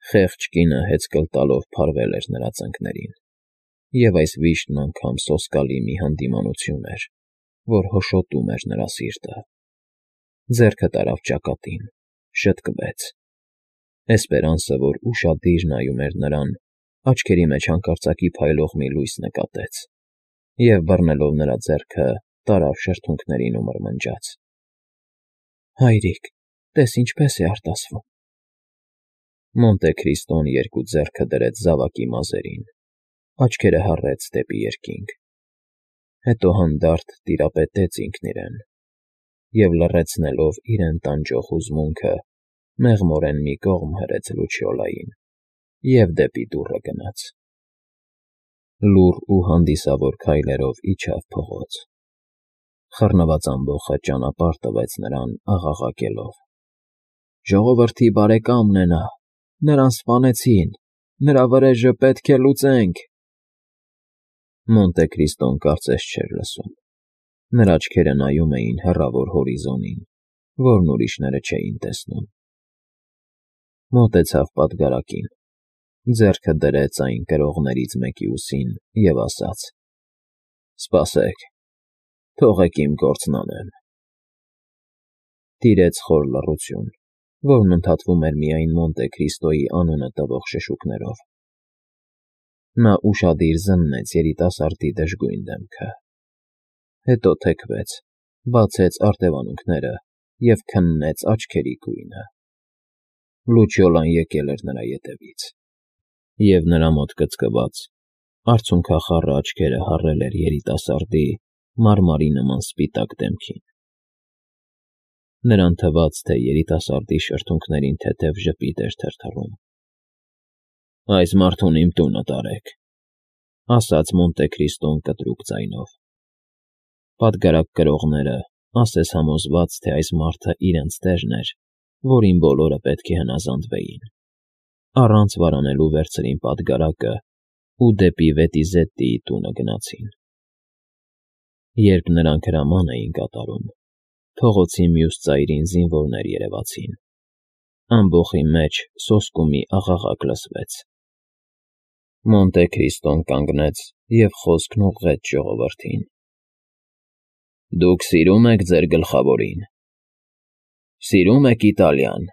Խեղճ կինը հեծկլ տալով փարվել էր նրա ծնկներին, և այս վիշտն անգամ սոսկալի մի հանդիմանություն էր, որ հոշոտում էր նրա սիրտը։ Ձեռքը տարավ ճակատին, շտկվեց։ Էսպերանսը, որ ուշադիր նայում էր նրան, աչքերի մեջ հանկարծակի փայլող մի լույս նկատեց և, բռնելով նրա ձեռքը, տարավ շրթունքներին ու մրմնջաց. «Հայրիկ, տես ինչպես է արտասվում»։ Մոնտե Քրիստոն երկու ձեռքը դրեց զավակի մազերին, աչքերը հառեց դեպի երկինք, հետո հանդարտ տիրապետեց ինքն իրեն և, լռեցնելով իրեն տանջող հուզմունքը, մեղմորեն մի կողմ հրեց Լուչիոլային և դեպի դուռը գնաց։ Լուռ ու հանդիսավոր քայլերով իջավ փողոց։ Խռնված ամբոխը ճանապարհ տվեց նրան աղաղակելով. «Ժողովրդի բարեկամն է նա, նրան սպանեցին, նրա վրեժը պետք է լուծենք»։ Մոնտե Քրիստոն կարծես չէր լսում։ Նրա աչքերը նայում էին հեռավոր հորիզոնին, որն ուրիշները չէին տեսնում։ Մոտեցավ պատգարակին, ձեռքը դրեց այն կրողներից մեկի ուսին և ասաց. «Սպասեք, թողեք իմ գործն անեմ»։ Տիրեց խոր լռություն, որն ընդհատվում էր միայն Մոնտե Քրիստոյի անունը տվող շշուկներով։ Նա ուշադիր զննեց երիտասարդի դժգույն դեմքը, հետո թեքվեց, բացեց արտևանունքները և քննեց աչքերի գույնը։ Լուչիոլան եկել էր նրա ետևից, և նրա մոտ կծկված, արցունքախառը աչքերը հառել էր երիտասարդի մարմարի նման սպիտակ դեմքին։ Նրան թվաց, թե երիտասարդի շրթունքներին թեթև ժպիտ էր թրթռում։ «Այս մարդուն իմ տունը տարեք», ֊ ասաց Մոնտե Քրիստոն կտրուկ ձայնով։ Պատգարակ կրողները, ասես համոզված, թե այս մարդը իրենց տերն էր, որին բոլորը պետք է հնազանդվեին, առանց վարանելու վերցրին պատգարակը ու դեպի Վետիզետտիի տունը գնացին։ Երբ նրանք հրաման էին կատարում, փողոցի մյուս ծայրին զինվորներ երևացին։ Ամբոխի մեջ սոսկու մի աղաղակ լսվեց։ Մոնտե Քրիստոն կանգնեց և խոսքն ուղղեց ժողովրդին. «Դուք սիրում եք ձեր գլխավորին։ Սիրում եք Իտալիան։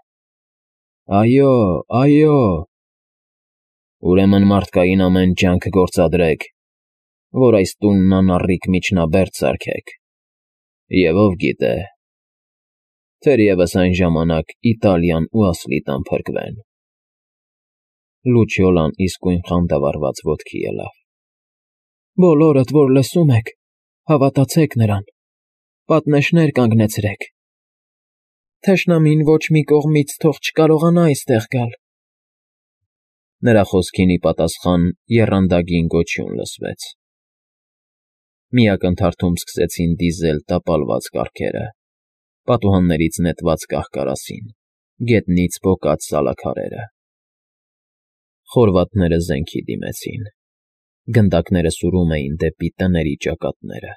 Այո, այո։ Ուրեմն մարդկային ամեն ջանք գործադրեք, որ այս տունն անառիկ միջնաբերդ սարքեք, և ով գիտե, թերևս այն ժամանակ Իտալիան ու Ասլիտան փրկվեն»։ Լուչիոլան իսկույն խանդավառված ոտքի ելավ։ «Բոլորդ, որ լսում եք, հավատացեք նրան, պատնեշներ կանգնեցրեք։ Թշնամին ոչ մի կողմից թող չկարողանա այստեղ գալ»։ Նրա խոսքին ի պատասխան եռանդագին գոչյուն լսվեց։ Մի ակնթարթում սկսեցին դիզել տապալված կառքերը, պատուհաններից նետված կահ֊կարասին, գետնից պոկած սալաքարերը։ Խորվաթները զենքի դիմեցին, գնդակները սուրում էին դեպի տների ճակատները,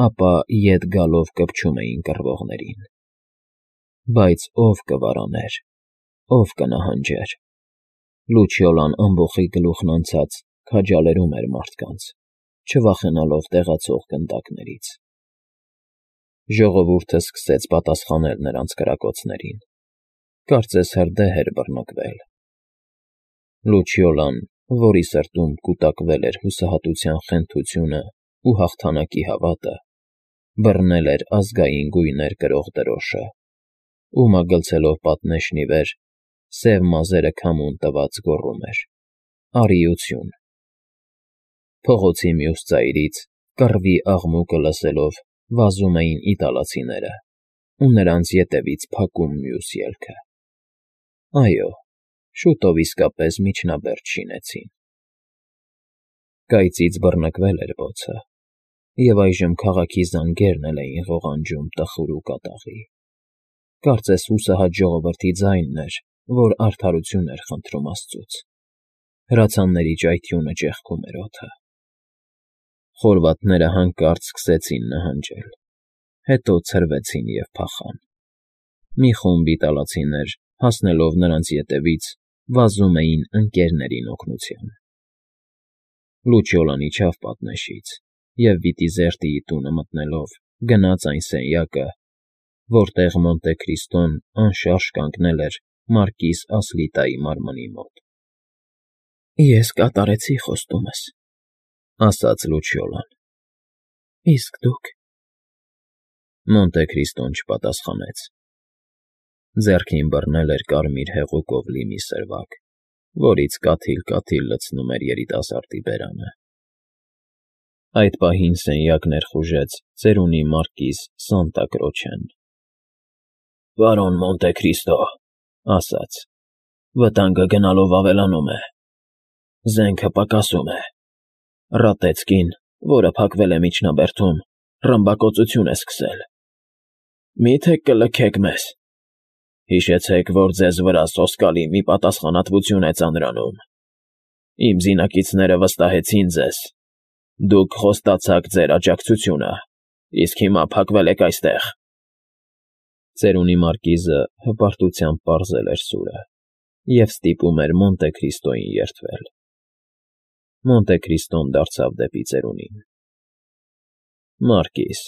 ապա ետ գալով կպչում էին կռվողներին։ Բայց ով կվարաներ, ով կնահանջեր։ Լուչիոլան ամբոխի գլուխն անցած քաջալերում էր մարդկանց, չվախենալով տեղացող գնդակներից։ Ժողովուրդը սկսեց պատասխանել նրանց կրակոցներին, կարծես հրդեհ էր բռնկվել։ Լուչիոլան, որի սրտում կուտակվել էր հուսահատության խենթությունն ու հաղթանակի հավատը, բռնել էր ազգային գույներ կրող դրոշը ու, մագլցելով պատնեշն ի վեր, սև մազերը քամուն տված գոռում էր. «Առիություն»։ Փողոցի մյուս ծայրից, կռվի աղմուկը լսելով, վազում էին իտալացիները ու նրանց ետևից փակում մյուս ելքը։ Այո, շուտով իսկապես միջնաբերդ շինեցին։ Կայծից բռնկվել էր օդը, և այժմ քաղաքի զանգերն էլ էին ղողանջում տխուր ու կատաղի։ Կարծես հուսահատ ժողովրդի ձայնն էր, որ արդարություն էր խնդրում աստծուց։ Հրացանների ճայթյունը ճեղքում էր օդը։ Խորվաթները հանկարծ սկսեցին նահանջել, հետո ցրվեցին և փախան։ Մի խումբ իտալացիներ, հասնելով նրանց ետևից, վազում էին ընկերներին օգնության։ Լուչիոլան իջավ պատնեշից և Վիտիզերտիի տունը մտնելով գնաց այն սենյակը, որտեղ Մոնտե Քրիստոն անշարժ կանգնել էր մարկիս Ասլիտայի մարմնի մոտ։ «Ես կատարեցի խոստումս,֊ ասաց Լուչիոլան։ Իսկ դուք…֊ Մոնտե Քրիստոն չպատասխանեց։ Ձեռքին բռնել էր կարմիր հեղուկով լի մի սրվակ, որից կաթիլ֊կաթիլ լցնում էր երիտասարդի բերանը։ Այդ պահին սենյակ ներխուժեց ծերունի մարկիս Սանտա Կրոչեն։ «Պարոն Մոնտե Քրիստո,֊ ասաց,֊ վտանգը գնալով ավելանում է, զենքը պակասում է, Ռատեցկին, որը փակվել է միջնաբերդում, ռմբակոծություն է սկսել։ Մի՞թե կլքեք մեզ։ Հիշեցեք, որ ձեզ վրա սոսկալի մի պատասխանատվություն է ծանրանում։ Իմ զինակիցները վստահեցին ձեզ, դուք խոստացաք ձեր աջակցությունը, իսկ հիմա փակվել եք այստեղ»։ Ծերունի մարկիզը հպարտությամբ պարզել էր սուրը և ստիպում էր Մոնտե Քրիստոյին երդվել։ Մոնտե Քրիստոն դարձավ դեպի ծերունին։ «Մարկիս,֊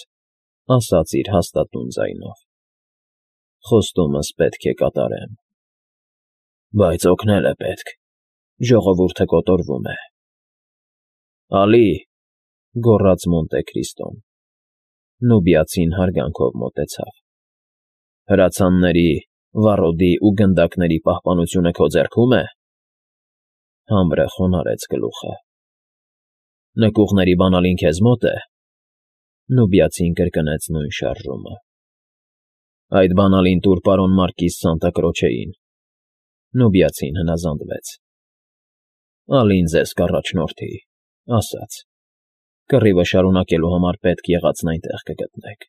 ասաց իր հաստատուն ձայնով,֊ խոստումս պետք է կատարեմ»։ «Բայց օգնել է պետք, ժողովուրդը կոտորվում է»։ «Ալի,֊ գոռաց Մոնտե Քրիստոն։ Նուբիացին հարգանքով մոտեցավ։ «Հրացանների, վառոդի ու գնդակների պահպանությունը քո ձեռքո՞ւմ է»։ Համբրը խոնարհեց գլուխը։ «Նկուղների բանալին քեզ մո՞տ է»։ Նուբիացին կրկնեց նույն շարժումը։ «Այդ բանալին տուր պարոն մարկիս Սանտա Կրոչեին»։ Նուբիացին հնազանդվեց։ «Ալին ձեզ կառաջնորդի,֊ ասաց,֊ կռիվը շարունակելու համար պետք եղածն այնտեղ կգտնեք։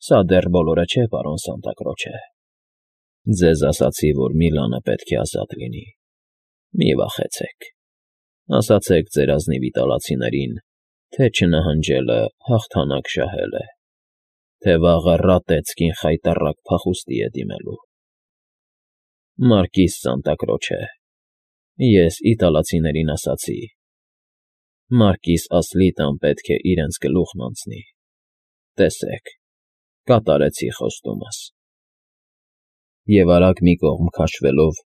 Սա դեռ բոլորը չէ, պարոն Սանտա Կրոչե։ Ձեզ ասացի, որ Միլանը պետք է ազատ լինի։ Մի վախեցեք։ Ասացեք ձեր ազնիվ իտալացիներին, թե չնահանջելը հաղթանակ շահել է, թե վաղը Ռատեցկին խայտառակ փախուստի է դիմելու։ Մարկիս Սանտա Կրոչե, ես իտալացիներին ասացի. Մարկիս Ասլիտան պետք է իրենց գլուխն անցնի։ Տեսեք, կատարեցի խոստումս։ Եվ արագ մի կողմ քաշվելով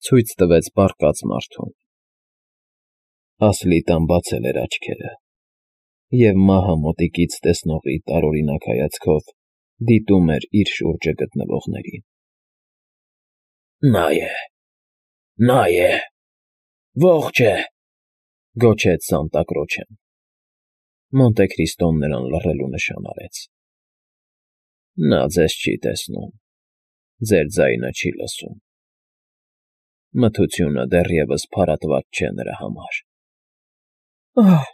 ցույց տվեց պառկած մարդուն։ Ասլիտան բացել էր աչքերը և մահը մոտիկից տեսնողի տարօրինակ հայացքով դիտում էր իր շուրջը գտնվողներին։ «Նա է, նա է, ողջ է,֊ գոչեց Սանտա Կրոչեն։ Մոնտե Քրիստոն նրան լռելու նշան արեց։ Նա ձեզ չի տեսնում, ձեր ձայնը չի լսում։ Մթությունը դեռևս փարատված չէ նրա համար։ «Ահ,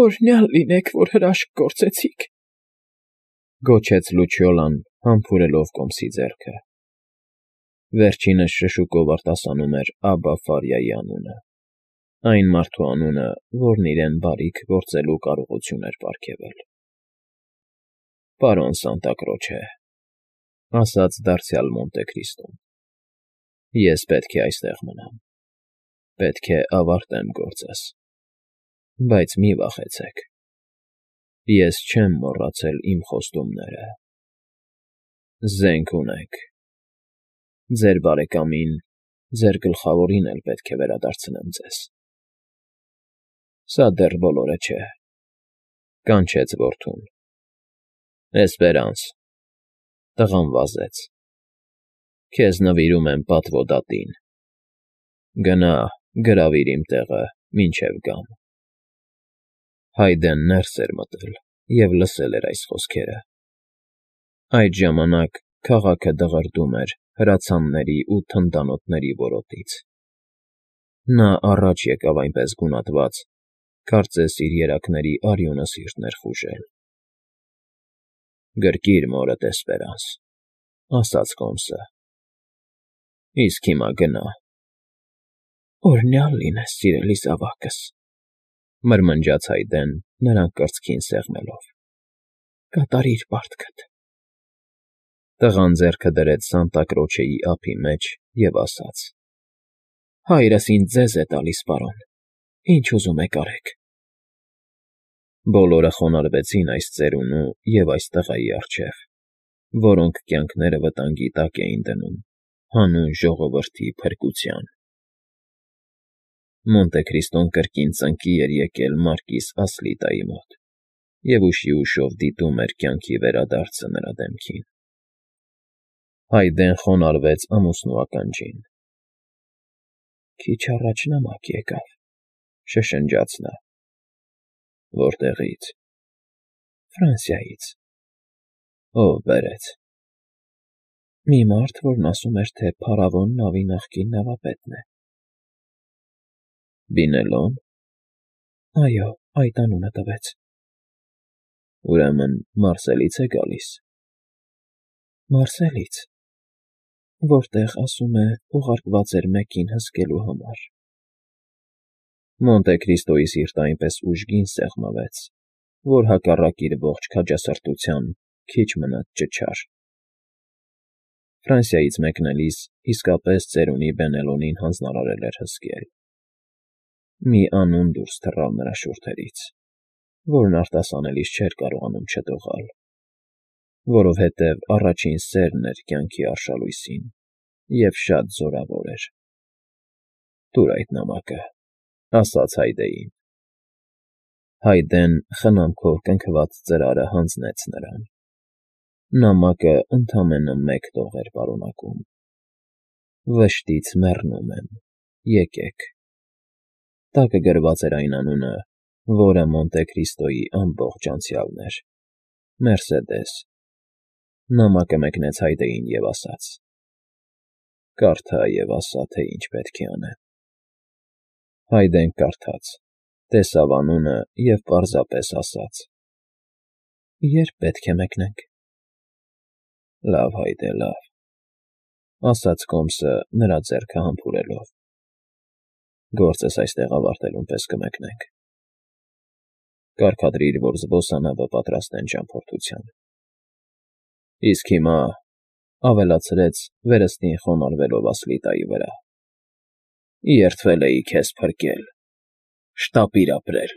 օրհնյալ լինեք, որ հրաշք գործեցիք,֊ գոչեց Լուչիոլան, համբուրելով կոմսի ձեռքը։ Վերջինս շշուկով արտասանում էր Աբբա Ֆարիայի անունը, այն մարդու անունը, որն իրեն բարիք գործելու կարողություն էր պարգևել։ Պարոն Սանտա Կրոչե,֊ ասաց դարձյալ Մոնտե Քրիստոն,֊ ես պետք է այստեղ մնամ, պետք է ավարտեմ գործս, բայց մի վախեցեք, ես չեմ մոռացել իմ խոստումները։ Զենք ունեք։ Ձեր բարեկամին, ձեր գլխավորին էլ պետք է վերադարձնեմ ձեզ։ Սա դեռ բոլորը չէ,֊ կանչեց որդուն։ Էսպերանս…֊ Տղան վազեց։ Քեզ նվիրում եմ պատվոդատին։ Գնա, գրավիր իմ տեղը, մինչև գամ։ Հայդեն ներս էր մտել և լսել էր այս խոսքերը։ Այդ ժամանակ քաղաքը դղրդում էր հրացանների ու թնդանոթների որոտից։ Նա առաջ եկավ այնպես գունատված, կարծես իր երակների արյունը սիրտ ներխուժել։ Գրկիր մորդ, Էսպերանս,֊ ասաց կոմսը։ Իսկ հիմա գնա։ Օրհնյալ լինես, սիրելի զավակս,֊ մրմնջաց Հայդեն, նրան կրծքին սեղմելով։ Կատարիր պարտքդ։ Տղան ձեռքը դրեց Սանտա Կրոչեի ափի մեջ և ասաց. Հայրս ինձ ձեզ է տալիս, պարոն, ինչ ուզում եք արեք։ Բոլորը խոնարհվեցին այս ծերունու և այս տղայի առջև, որոնք կյանքները վտանգի տակ էին դնում հանուն ժողովրդի փրկության։ Մոնտե Քրիստոն կրկին ծնկի էր եկել մարկիս Ասլիտայի մոտ և ուշիուշով դիտում էր կյանքի վերադարձը նրա դեմքին։ Հայդեն խոնարհվեց ամուսնու ականջին։ «Քիչ առաջ նամակ եկավ,֊ շշնջաց նա։ Որտեղի՞ց։ Ֆրանսիայից։ Ո՞վ բերեց։ Մի մարդ, որն ասում էր, թե փարավոն նավի նախկին նավապետն է։ Բինելո՞ն։ Այո, այդ անունը տվեց։ Ուրեմն Մարսելից է գալիս։ Մարսելից, որտեղ, ասում է, ուղարկված էր մեկին հսկելու համար։ Մոնտե Քրիստոյի սիրտը այնպես ուժգին սեղմվեց, որ հակառակ իր ողջ քաջասրտության քիչ մնաց ճչար։ Ֆրանսիայից մեկնելիս իսկապես ծերունի Բենելոնին հանձնարարել էր հսկել։ Մի անուն դուրս թռավ նրա շուրթերից, որն արտասանելիս չէր կարողանում չտողալ, որովհետև առաջին սերն էր կյանքի արշալույսին և շատ զորավոր էր։ «Տուր այդ նամակը,֊ ասաց Հայդեին։ Հայդեն խնամքով կնքված ծրարը հանձնեց նրան։ Նամակը ընդամենը մեկ տող էր պարունակում. «Վշտից մեռնում եմ, եկեք»։ Տակը գրված էր այն անունը, որը Մոնտե Քրիստոյի ամբողջ անցյալն էր՝ Մերսեդես։ Նամակը մեկնեց Հայդեին և ասաց. «Կարդա և ասա, թե ինչ պետք է անեմ»։ Հայդեն կարդաց, տեսավ անունը և պարզապես ասաց. «Ե՞րբ պետք է մեկնենք»։ Լավ, Հայդե, լավ,֊ ասաց Կոմսը նրա ձեռքը համբուրելով։ Գործս այստեղ ավարտելուն պես կմեկնենք։ Կարգադրիր, որ զբոսանավը պատրաստեն ճամփորդության։ Իսկ հիմա,֊ ավելացրեց վերստին խոնարհվելով Ասլիտայի վրա,֊ երդվել էի քեզ փրկել, շտապիր ապրել։